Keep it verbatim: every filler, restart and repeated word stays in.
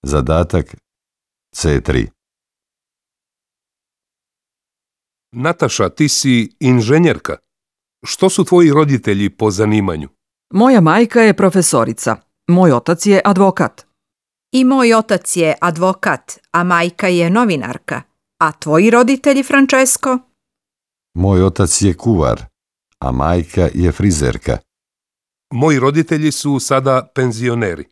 Zadatak C tri. Nataša, ti si inženjerka. Što su tvoji roditelji po zanimanju? Moja majka je profesorica. Moj otac je advokat. I moj otac je advokat, a majka je novinarka. A tvoji roditelji, Francesco? Moj otac je kuvar, a majka je frizerka. Moji roditelji su sada penzioneri.